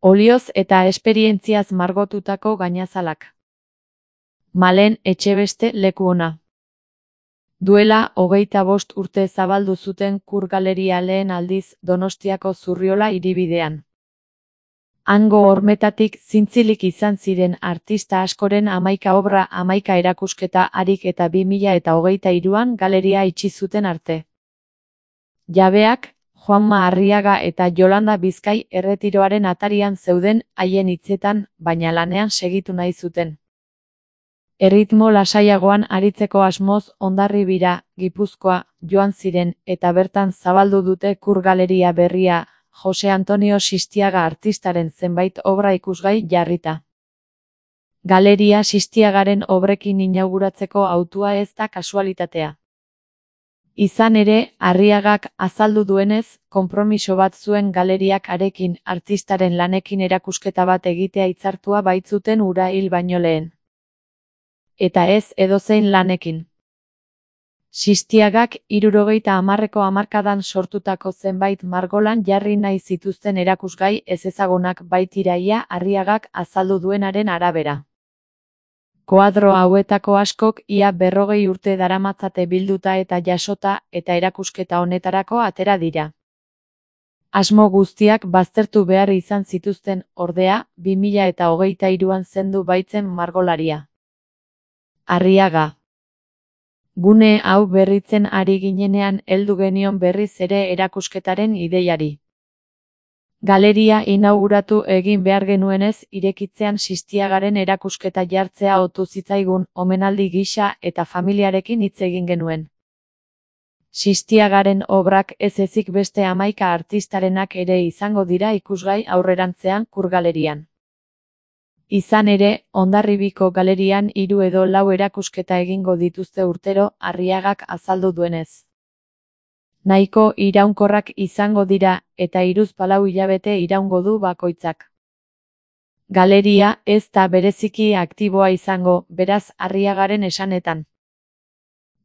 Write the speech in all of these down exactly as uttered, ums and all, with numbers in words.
Olioz eta esperientziaz margotutako gainazalak. Malen Etxebeste leku ona. Duela hogeita bost urte zabaldu zuten Kur Galeria lehen aldiz Donostiako Zurriola hiribidean. Hango hormetatik zintzilik izan ziren artista askoren hamaika obra hamaika erakusketa harik eta bi mila eta hogeita hiruan galeria itxi zuten arte. Jabeak, Juanma Arriaga eta Jolanda Bizkai erretiroaren atarian zeuden haien hitzetan, baina lanean segitu nahi zuten. Erritmo lasaiagoan aritzeko asmoz Hondarribira, Gipuzkoa, joan ziren eta bertan zabaldu dute Kur Galeria berria, Jose Antonio Sistiaga artistaren zenbait obra ikusgai jarrita. Galeria Sistiagaren obrekin inauguratzeko hautua ez da kasualitatea. Izan ere, Arriagak azaldu duenez, konpromiso bat zuen galeriak harekin artistaren lanekin erakusketa bat egitea hitzartua baitzuten hura hil baino lehen. Eta ez edozein lanekin. Sistiagak hirurogeita hamarreko hamarkadan sortutako zenbait margolan jarri nahi zituzten erakusgai ezezagunak baitira ia Arriagak azaldu duenaren arabera. Koadro hauetako askok ia berrogei urte daramatzate bilduta eta jasota eta erakusketa honetarako atera dira. Asmo guztiak baztertu behar izan zituzten, ordea, bi mila eta hogeita hiruan zendu baitzen margolaria. Arriaga. Gune hau berritzen ari ginenean heldu genion berriz ere erakusketaren ideiari. Galeria inauguratu egin behar genuenez irekitzean Sistiagaren erakusketa jartzea otu zitzaigun omenaldi gisa eta familiarekin hitz egin genuen. Sistiagaren obrak ez ezik beste hamaika artistarenak ere izango dira ikusgai aurrerantzean Kur Galerian. Izan ere, Hondarribiko galerian hiru edo lau erakusketa egingo dituzte urtero Arriagak azaldu duenez. Nahiko iraunkorrak izango dira eta hiruzpalau hilabete iraungo du bakoitzak. Galeria ez da bereziki aktiboa izango, beraz Arriagaren esanetan.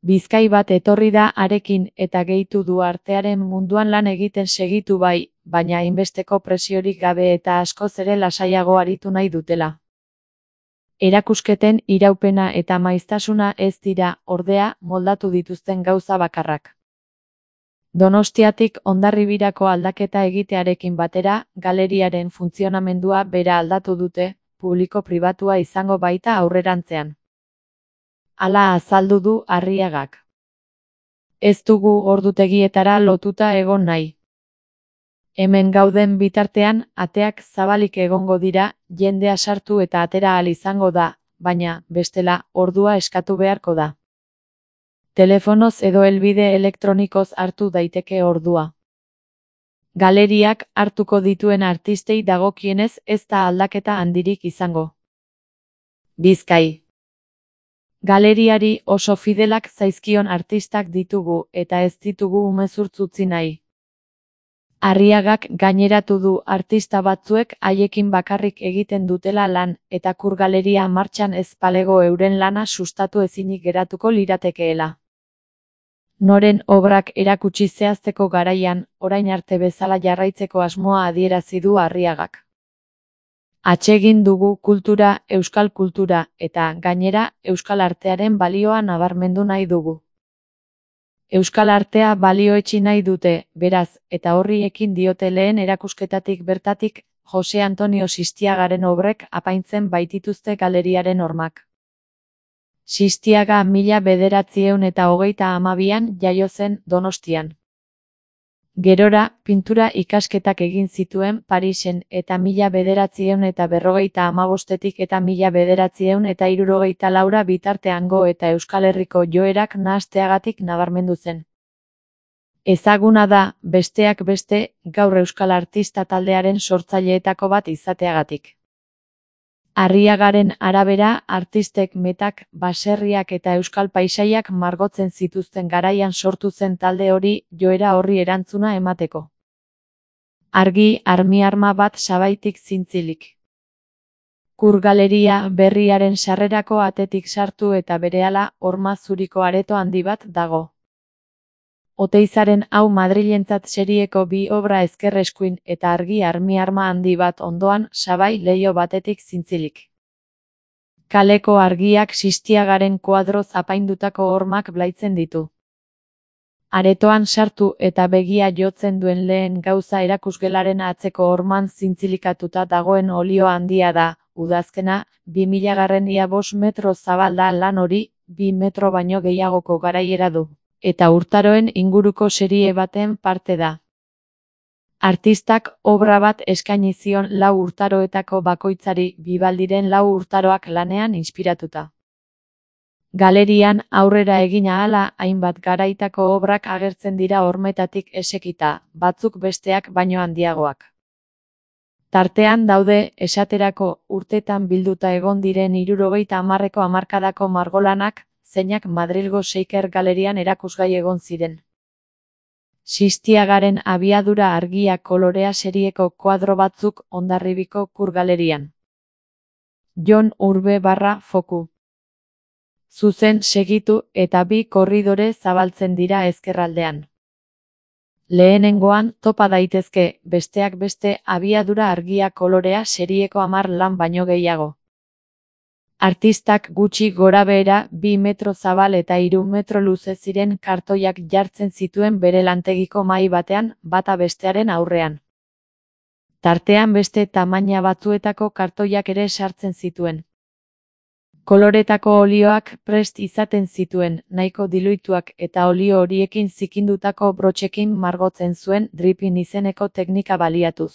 Bizkai bat etorri da harekin eta gehitu du artearen munduan lan egiten segitu bai, baina hainbesteko presiorik gabe eta askoz ere lasaiago aritu nahi dutela. Erakusketen iraupena eta maiztasuna ez dira, ordea, moldatu dituzten gauza bakarrak. Donostiatik Hondarribirako aldaketa egitearekin batera, galeriaren funtzionamendua bera aldatu dute, publiko-pribatua izango baita aurrerantzean. Hala azaldu du Arriagak. Ez dugu ordutegietara lotuta egon nahi. Hemen gauden bitartean, ateak zabalik egongo dira, jendea sartu eta atera ahal izango da, baina, bestela, ordua eskatu beharko da. Telefonoz edo helbide elektronikoz hartu daiteke ordua. Galeriak hartuko dituen artistei dagokienez ez da aldaketa handirik izango. Bizkai. Galeriari oso fidelak zaizkion artistak ditugu eta ez ditugu umezurtz utzi nahi. Arriagak gaineratu du artista batzuek haiekin bakarrik egiten dutela lan eta Kur Galeria martxan ez balego euren lana sustatu ezinik geratuko liratekeela. Noren obrak erakutsi zehazteko garaian, orain arte bezala jarraitzeko asmoa adierazi du Arriagak. Atsegin dugu kultura, euskal kultura, eta, gainera, euskal artearen balioa nabarmendu nahi dugu. Euskal artea balioetsi nahi dute, beraz, eta horri ekin diote lehen erakusketatik bertatik, Jose Antonio Sistiagaren obrek apaintzen baitituzte galeriaren hormak. Sistiaga mila bederatziehun eta hogeita hamabian jaio zen Donostian. Gerora, pintura ikasketak egin zituen Parisen eta mila bederatziehun eta berrogeita hamabostetik eta mila bederatziehun eta hirurogeita laura bitarteango eta Euskal Herriko joerak nahasteagatik nabarmendu zen. Ezaguna da, besteak beste, gaur euskal artista taldearen sortzaileetako bat izateagatik. Arriagaren arabera, artistek metak, baserriak eta euskal paisaiak margotzen zituzten garaian sortu zen talde hori, joera horri erantzuna emateko. Argi armi-arma bat sabaitik zintzilik. Kur Galeria berriaren sarrerako atetik sartu eta berehala horma zuriko areto handi bat dago. Oteizaren hau Madrilentzat serieko bi obra ezker eskuin eta argi armi-arma handi bat ondoan sabai leiho batetik zintzilik. Kaleko argiak Sistiagaren koadroz apaindutako hormak blaitzen ditu. Aretoan sartu eta begia jotzen duen lehen gauza erakusgelaren atzeko horman zintzilikatuta dagoen olio handia da, udazkena, bi milagarren ia bost metro zabal da lan hori, bi metro baino gehiagoko garaiera du, eta urtaroen inguruko serie baten parte da. Artistak obra bat eskaini zion lau urtaroetako bakoitzari Bibaldiren lau urtaroak lanean inspiratuta. Galerian aurrera egin ahala hainbat garaitako obrak agertzen dira hormetatik esekita, batzuk besteak baino handiagoak. Tartean daude, esaterako, urtetan bilduta egon diren hirurogeita hamarreko hamarkadako margolanak, zeinak Madrilgo Seiker Galerian erakusgai egon ziren. Sistiagaren abiadura argia kolorea serieko koadro batzuk Hondarribiko Kur Galerian. Jon Urbe barra foku. Zuzen segitu eta bi korridore zabaltzen dira ezkerraldean. Lehenengoan topa daitezke, besteak beste abiadura argia kolorea serieko hamar lan baino gehiago. Artistak gutxi gorabehera bi metro zabal eta hiru metro luze ziren kartoiak jartzen zituen bere lantegiko mahai batean, bata bestearen aurrean. Tartean beste tamaina batzuetako kartoiak ere sartzen zituen. Koloretako olioak prest izaten zituen, nahiko diluituak eta olio horiekin zikindutako brotxekin margotzen zuen dripping izeneko teknika baliatuz.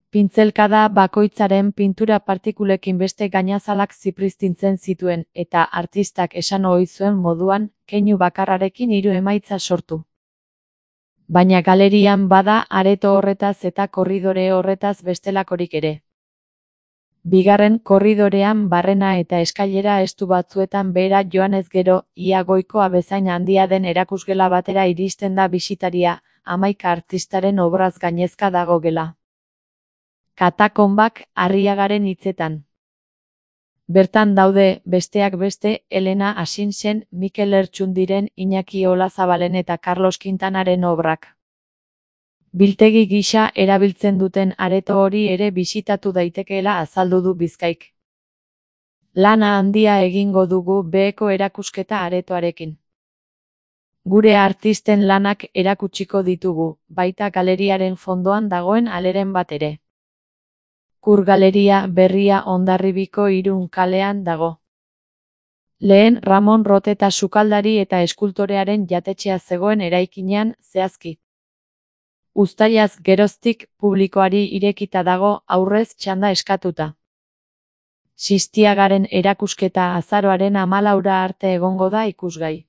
Pintzelkada bakoitzaren pintura partikulekin beste gainazalak zipristintzen zituen eta artistak esan ohi zuen moduan, keinu bakarrarekin hiru emaitza sortu. Baina galerian bada areto horretaz eta korridore horretaz bestelakorik ere. Bigarren korridorean barrena eta eskailera estu batzuetan behera joanez gero, ia goikoa bezain handia den erakusgela batera iristen da bisitaria, hamaika artistaren obraz gainezka dago gela. Katakonbak Arriagaren hitzetan. Bertan daude, besteak beste, Elena Asinsen, Mikel Lertxundiren, Iñaki Olazabalen eta Carlos Quintanaren obrak. Biltegi gisa erabiltzen duten areto hori ere bisitatu daitekeela azaldu du Bizkaik. Lana handia egingo dugu beheko erakusketa aretoarekin. Gure artisten lanak erakutsiko ditugu, baita galeriaren fondoan dagoen aleren bat ere. Kur Galeria berria Hondarribiko Irun kalean dago. Lehen Ramon Roteta sukaldari eta eskultorearen jatetxea zegoen eraikinean, zehazki. Uztailaz geroztik publikoari irekita dago aurrez txanda eskatuta. Sistiagaren erakusketa azaroaren hamalaura arte egongo da ikusgai.